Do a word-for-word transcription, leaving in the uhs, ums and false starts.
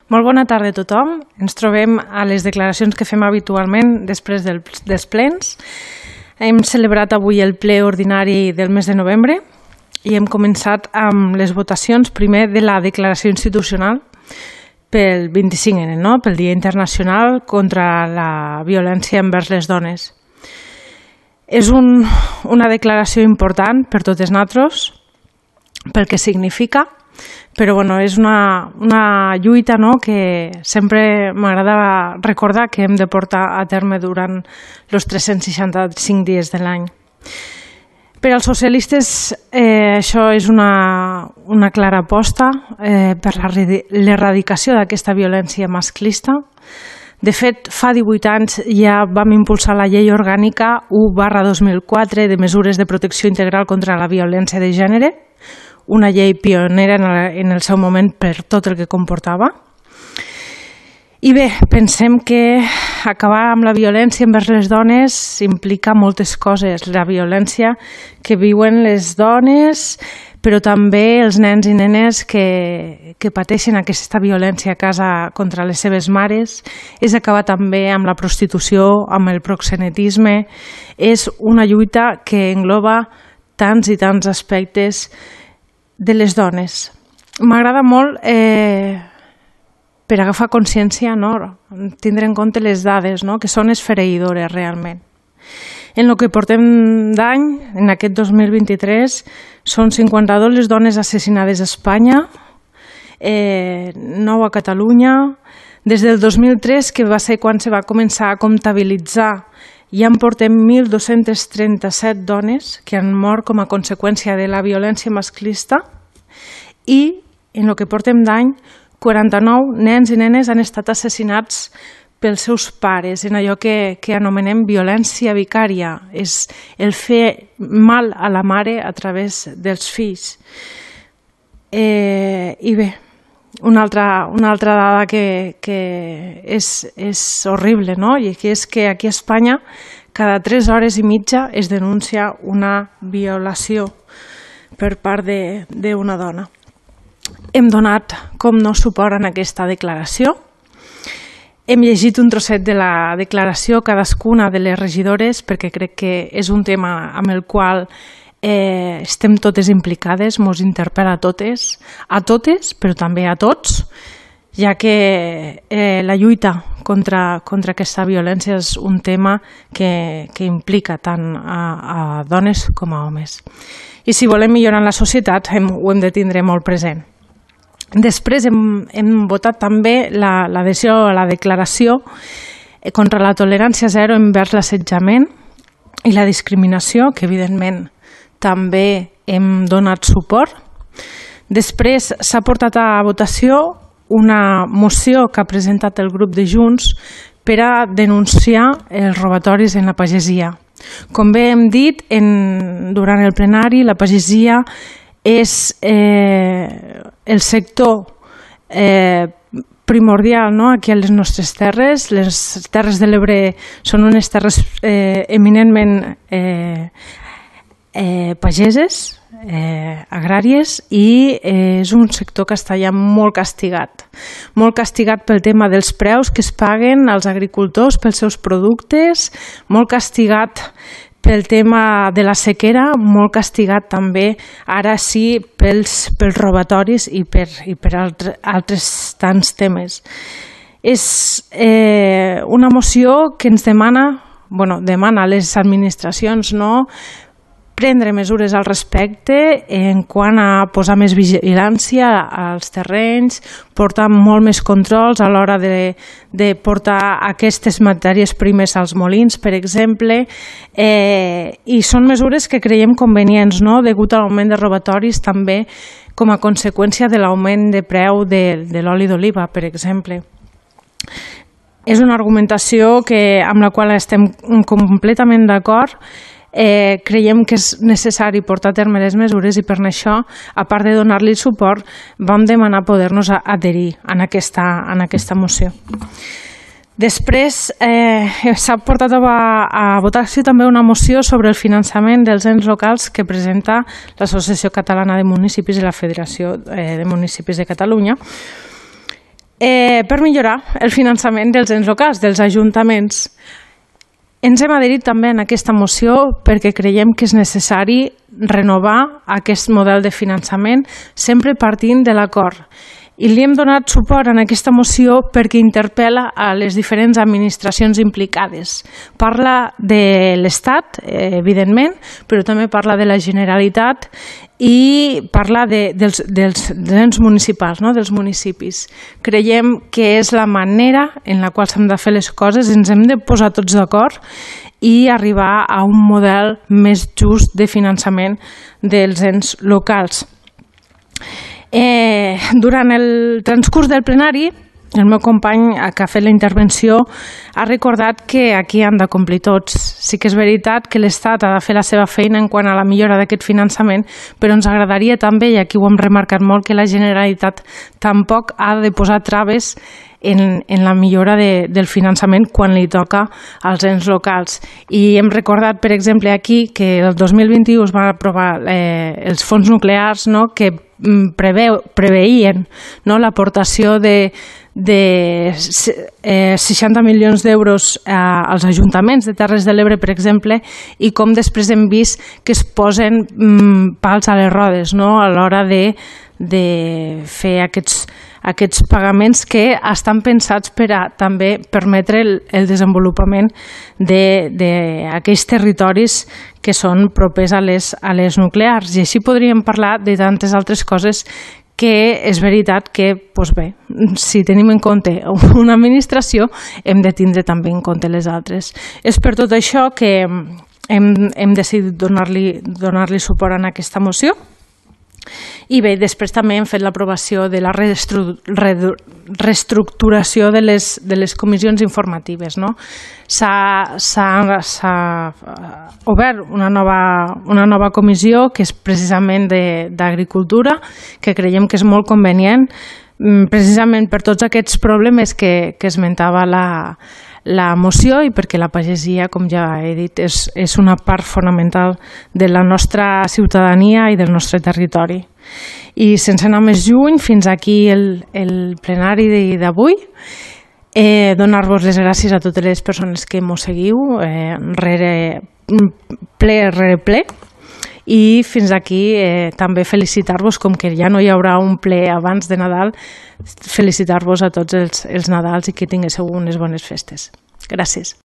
Molt bona tarda a tothom. Ens trobem a les declaracions que fem habitualment després del, dels plens. Hem celebrat avui el ple ordinari del mes de novembre i hem començat amb les votacions primer de la declaració institucional pel vint-i-cinc ene, no? Pel Dia Internacional contra la Violència envers les Dones. És un, una declaració important per totes nosaltres, pel que significa, però bueno, és una, una lluita, no?, que sempre m'agrada recordar que hem de portar a terme durant els tres-cents seixanta-cinc dies de l'any. Per als socialistes eh, això és una, una clara aposta eh, per l'erradicació d'aquesta violència masclista. De fet, fa divuit anys ja vam impulsar la llei orgànica u barra dos mil quatre de mesures de protecció integral contra la violència de gènere, una llei pionera en el seu moment per tot el que comportava. I bé, pensem que acabar amb la violència envers les dones implica moltes coses. La violència que viuen les dones, però també els nens i nenes que, que pateixen aquesta violència a casa contra les seves mares. És acabar també amb la prostitució, amb el proxenetisme. És una lluita que engloba tants i tants aspectes de les dones. M'agrada molt eh, per agafar consciència, no?, tindre en compte les dades, no?, que són esfereïdores realment. En el que portem d'any, en aquest dos mil vint-i-tres, són cinquanta-dos les dones assassinades a Espanya, eh, nou a Catalunya. Des del dos mil tres, que va ser quan se va començar a comptabilitzar, ja en portem mil dos-cents trenta-set dones que han mort com a conseqüència de la violència masclista i, en el que portem d'any, quaranta-nou nens i nenes han estat assassinats pels seus pares, en allò que, que anomenem violència vicària. És el fer mal a la mare a través dels fills. Eh, I bé, una altra, una altra dada que, que és, és horrible, no?, i que és que aquí a Espanya cada tres hores i mitja es denuncia una violació per part d'una dona. Hem donat, com no, suport en aquesta declaració. Hem llegit un trosset de la declaració cadascuna de les regidores perquè crec que és un tema amb el qual eh, estem totes implicades, ens interpel·la a totes, a totes, però també a tots, ja que eh, la lluita contra, contra aquesta violència és un tema que, que implica tant a, a dones com a homes. I si volem millorar la societat hem, ho hem de tindre molt present. Després hem, hem votat també l'adhesió la, a la declaració contra la tolerància zero envers l'assetjament i la discriminació, que evidentment també hem donat suport. Després s'ha portat a votació una moció que ha presentat el grup de Junts per a denunciar els robatoris en la pagesia. Com bé hem dit en, durant el plenari, la pagesia és eh, el sector eh, primordial, no?, aquí a les nostres terres. Les Terres de l'Ebre són unes terres eh, eminentment eh, eh, pageses, eh, agràries, i eh, és un sector que està ja molt castigat. Molt castigat pel tema dels preus que es paguen als agricultors pels seus productes, molt castigat pel tema de la sequera, molt castigat també, ara sí, pels, pels robatoris i per, i per altre, altres tants temes. És eh, una moció que ens demana, bueno, demana a les administracions, no?, prendre mesures al respecte en quant a posar més vigilància als terrenys, portar molt més controls a l'hora de, de portar aquestes matèries primes als molins, per exemple, eh, i són mesures que creiem convenients, no?, degut a l'augment de robatoris, també com a conseqüència de l'augment de preu de, de l'oli d'oliva, per exemple. És una argumentació que, amb la qual estem completament d'acord. Eh, creiem que és necessari portar a terme les mesures i per això, a part de donar-li suport, vam demanar poder-nos adherir en aquesta, en aquesta moció. Després eh, s'ha portat a, a votació també una moció sobre el finançament dels ens locals que presenta l'Associació Catalana de Municipis i la Federació eh, de Municipis de Catalunya. eh, per millorar el finançament dels ens locals, dels ajuntaments. Ens hem adherit també en aquesta moció perquè creiem que és necessari renovar aquest model de finançament sempre partint de l'acord. I li hem donat suport en aquesta moció perquè interpel·la a les diferents administracions implicades. Parla de l'Estat, evidentment, però també parla de la Generalitat i parla de, dels, dels, dels ens municipals, no? Dels municipis. Creiem que és la manera en la qual s'han de fer les coses, ens hem de posar tots d'acord i arribar a un model més just de finançament dels ens locals. Eh, durant el transcurs del plenari, el meu company que ha fet la intervenció ha recordat que aquí han de complir tots. Sí que és veritat que l'Estat ha de fer la seva feina en quant a la millora d'aquest finançament, però ens agradaria també, i aquí ho hem remarcat molt, que la Generalitat tampoc ha de posar traves en, en la millora de, del finançament quan li toca als ens locals. I hem recordat, per exemple, aquí que el dos mil vint-i-u es van aprovar eh, els fons nuclears, no?, que preveu, preveïen, no?, l'aportació de, de eh, seixanta milions d'euros eh, als ajuntaments de Terres de l'Ebre, per exemple, i com després hem vist que es posen mm, pals a les rodes, no?, a l'hora de, de fer aquests aquests pagaments que estan pensats per a també permetre el, el desenvolupament d'aquells territoris que són propers a les, a les nuclears. I així podríem parlar de tantes altres coses que és veritat que, doncs bé, si tenim en compte una administració, hem de tindre també en compte les altres. És per tot això que hem, hem decidit donar-li donar-li suport en aquesta moció. I bé, després també hem fet l'aprovació de la restru reestructuració de les, de les comissions informatives, no? S'ha obert una nova, una nova comissió que és precisament d'agricultura, que creiem que és molt convenient, precisament per tots aquests problemes que, que esmentava la, la moció i perquè la pagesia, com ja he dit, és, és una part fonamental de la nostra ciutadania i del nostre territori. I sense anar més lluny, fins aquí el, el plenari d'avui. Eh, donar-vos les gràcies a totes les persones que mos seguiu, eh, rere, ple rere ple. I fins aquí eh, també felicitar-vos, com que ja no hi haurà un ple abans de Nadal, felicitar-vos a tots els, els Nadals i que tinguéssiu unes bones festes. Gràcies.